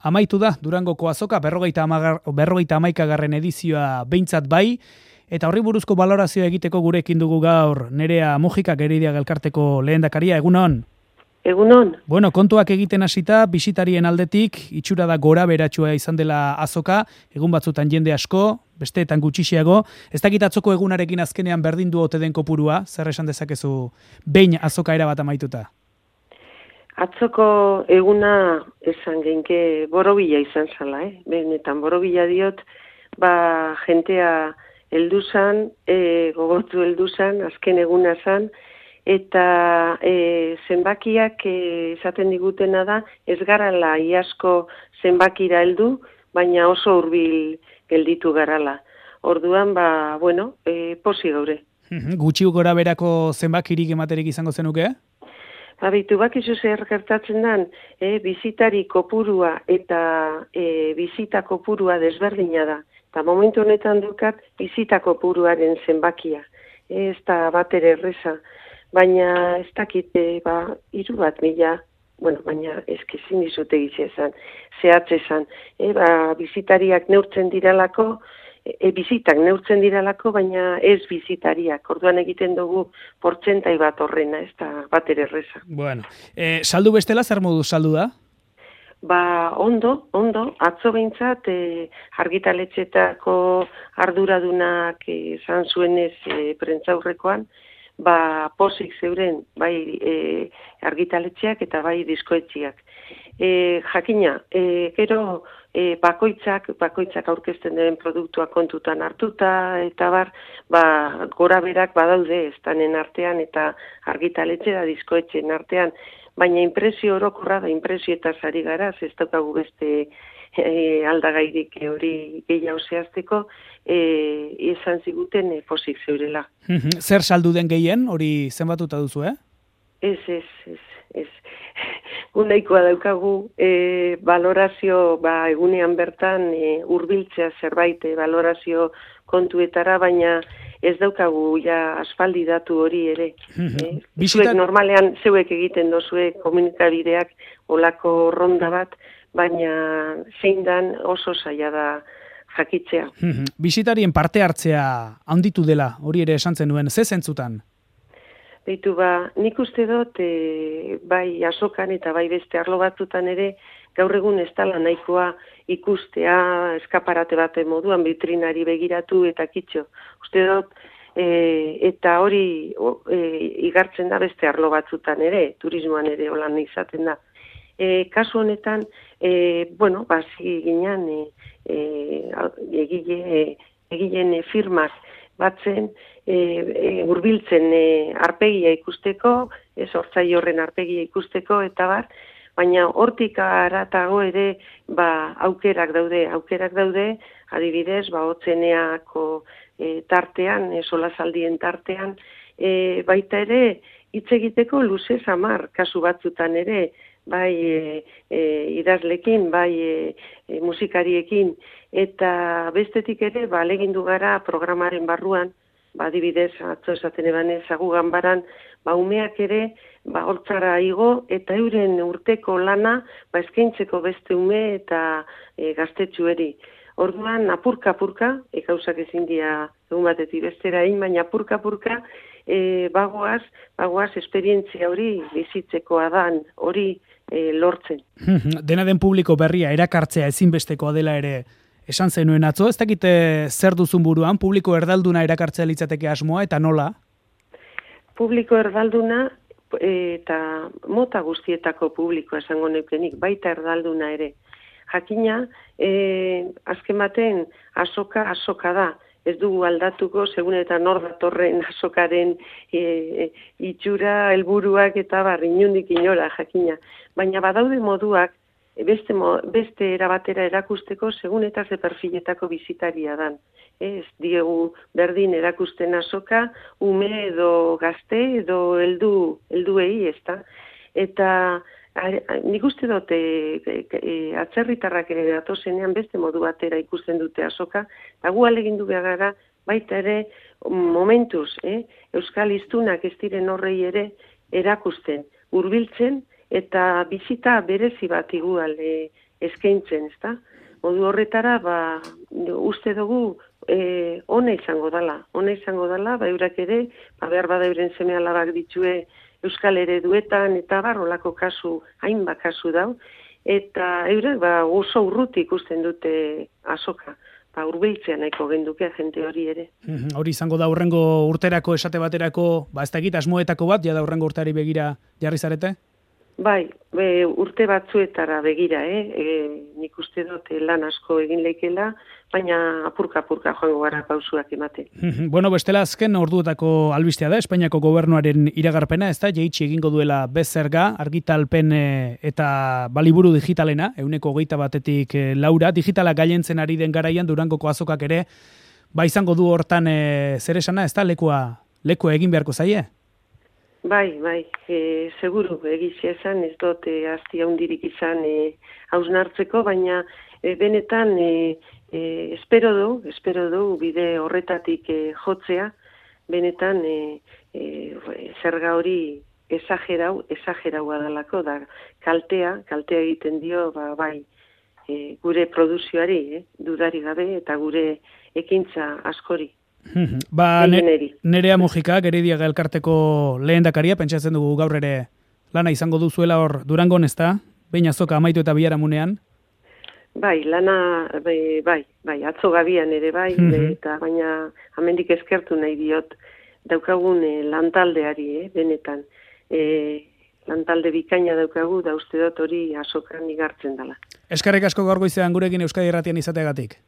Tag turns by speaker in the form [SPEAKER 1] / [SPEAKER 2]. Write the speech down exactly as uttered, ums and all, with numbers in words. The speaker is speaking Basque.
[SPEAKER 1] Amaitu da Durangoko azoka berrogeita hamaikagarren edizioa behintzat bai, eta horri buruzko balorazioa egiteko gurekin dugu gaur Nerea Mujikak Gerediaga elkarteko lehendakaria. Egunon?
[SPEAKER 2] Egunon.
[SPEAKER 1] Bueno, kontuak egiten hasita, bisitarien aldetik, itxura da gora beratsua izan dela azoka, egun batzutan jende asko, besteetan gutxixiago. Ez dakit atzoko egunarekin azkenean berdin du ote den kopurua, zer esan dezakezu behin azoka erabat amaituta?
[SPEAKER 2] Atzoko eguna esan genke borobila izan zala, eh? Benetan borobila diot, ba jentea heldu zan, e, gogotu heldu zan, azken eguna zan, eta e, zenbakiak e, esaten digutena da, ez garala iasko zenbakira heldu, baina oso hurbil gelditu garala. Orduan, ba, bueno, e, posi gaure.
[SPEAKER 1] Gutxi gora berako zenbakirik ematerik izango zenuke?
[SPEAKER 2] Abitu bakizu zer gertatzen den, e, bizitari kopurua eta e, bizita kopurua desberdina da. Eta momentu honetan dukat bizita kopuruaren zenbakia. E, ez da bat ere erreza. Baina ez dakit, e, ba, hiru bat mila, bueno, baina ezkezin dizute gizizan, zehatze zan. E, ba, bizitariak neurtzen diralako, E, bizitak neurtzen diralako, baina ez bizitariak. Orduan egiten dugu portzentai bat horrena, ez da bat ere erreza.
[SPEAKER 1] Bueno, e, saldu bestela zer modu saldu da?
[SPEAKER 2] Ba, ondo, ondo, atzo behintzat, e, argitaletxetako arduradunak esan e, zuenez e, prentzaurrekoan, ba, posik zeuren, bai e, argitaletxeak eta bai diskoetxiak. E, jakina, e, gero e, bakoitzak, bakoitzak aurkezten den produktua kontutan hartuta, eta bar, ba, gora berak badaude estanen artean eta argitaletxe da diskoetxen artean, baina impresio orokorra da impresio eta zari gara, ez daukagu beste e, aldagairik hori gehiago zehazteko, e, izan ziguten e, posik zeurela.
[SPEAKER 1] Zer saldu den gehien, hori zenbatuta duzu, eh?
[SPEAKER 2] Ez, ez, ez, ez. Unaikoa daukagu e, valorazio, ba, egunean bertan e, hurbiltzea zerbait e, valorazio kontuetara, baina ez daukagu ja aspaldi datu hori ere. E, Zuek normalean zeuek egiten dozue komunikabideak olako ronda bat, baina zein dan oso zaila da jakitzea.
[SPEAKER 1] Bisitarien parte hartzea handitu dela, hori ere esan zenuen, ze zentzutan?
[SPEAKER 2] Beitu ba, nik uste dut, e, bai azokan eta bai beste arlo batzutan ere, gaur egun ez dela nahikoa ikustea eskaparate bat moduan vitrinari begiratu eta kitxo. Uste dut, e, eta hori e, igartzen da beste arlo batzutan ere, turismoan ere holan izaten da. E, kasu honetan, e, bueno, bazi ginean e, e, egile, e, egileen e, firmak batzen, e, e, urbiltzen e, arpegia ikusteko, ez hortzai horren arpegia ikusteko, eta bar, baina hortik aratago ere ba, aukerak daude, aukerak daude, adibidez, ba, otzeneako e, tartean, e, solazaldien tartean, e, baita ere, hitz egiteko luze zamar, kasu batzutan ere, bai e, e, idazlekin, bai e, e, musikariekin, eta bestetik ere, ba, legindu gara programaren barruan, ba, adibidez, atzo esaten eban ezagu ganbaran, ba, umeak ere, ba, hortzara igo, eta euren urteko lana, ba, eskaintzeko beste ume eta e, gaztetxueri. Orduan, apurka-apurka, e, gauzak ezin dira egun batetik bestera egin, baina apurka-apurka, e, bagoaz, bagoaz, esperientzia hori bizitzekoa dan, hori e, lortzen.
[SPEAKER 1] Dena den publiko berria erakartzea ezinbestekoa dela ere esan zenuen atzo, ez dakite zer duzun buruan, publiko erdalduna erakartzea litzateke asmoa, eta nola?
[SPEAKER 2] Publiko erdalduna eta mota guztietako publikoa esango neukenik, baita erdalduna ere. Jakina, e, azken baten azoka, azoka da, ez dugu aldatuko, segun eta nor datorren azokaren e, itxura, helburuak eta bar, inundik inora, jakina. Baina badaude moduak, Beste, beste erabatera erakusteko segun eta ze perfiletako bizitaria dan. Ez diegu berdin erakusten azoka, ume edo gazte edo heldu helduei, ezta. Eta nik uste dut e, e, atzerritarrak ere datozenean beste modu batera ikusten dute azoka, eta gu alegindu behar gara baita ere momentuz, eh? Euskal hiztunak ez diren horrei ere erakusten, hurbiltzen, eta bizita berezi bat igual e, eskaintzen, ezta? Modu horretara, ba, uste dugu e, ona izango dela, ona izango dela, ba, eurak ere, ba, behar bada euren seme alabak ditue Euskal Ereduetan, eta barrolako kasu, hainbat kasu dau, eta eurek ba, oso urruti ikusten dute azoka, ba, urbiltzea nahiko genduke jente hori ere.
[SPEAKER 1] Hori izango da urrengo urterako esate baterako, ba, ez da egit asmoetako bat, ja da urrengo urteari begira jarri zarete?
[SPEAKER 2] Bai, be, urte batzuetara begira, eh? E, nik uste dut lan asko egin leikela, baina apurka-apurka joango gara pausuak emate.
[SPEAKER 1] Bueno, bestela azken orduetako albistea da, Espainiako gobernuaren iragarpena, ez da, jeitsi egingo duela bezerga, argitalpen eta baliburu digitalena, euneko hogeita batetik laura, digitala gailentzen ari den garaian Durangoko azokak ere, ba izango du hortan e, zer esana, ez da, lekua, lekua egin beharko zaie?
[SPEAKER 2] Bai, bai, e, seguru egizia esan, ez dut e, azti haundirik izan e, hausnartzeko, baina e, benetan e, e, espero du, espero du bide horretatik e, jotzea, benetan e, e, zerga hori esagerau, esageraua dalako, da kaltea, kaltea egiten dio, ba, bai, e, gure produzioari, eh, dudari gabe, eta gure ekintza askori.
[SPEAKER 1] Ba, ne, Nerea Mujika, Gerediaga elkarteko lehendakaria, pentsatzen dugu gaur ere lana izango duzuela hor Durangon, ez da? Behin azoka amaitu eta biharamunean?
[SPEAKER 2] Bai, lana, bai, bai, bai atzo gabian ere bai, mm-hmm. eta baina amendik eskertu nahi diot daukagun e, lantaldeari, eh, benetan. E, lantalde bikaina daukagu, da uste dut hori azokan igartzen dela.
[SPEAKER 1] Eskerrik asko gaur goizean gurekin Euskadi Irratian izateagatik.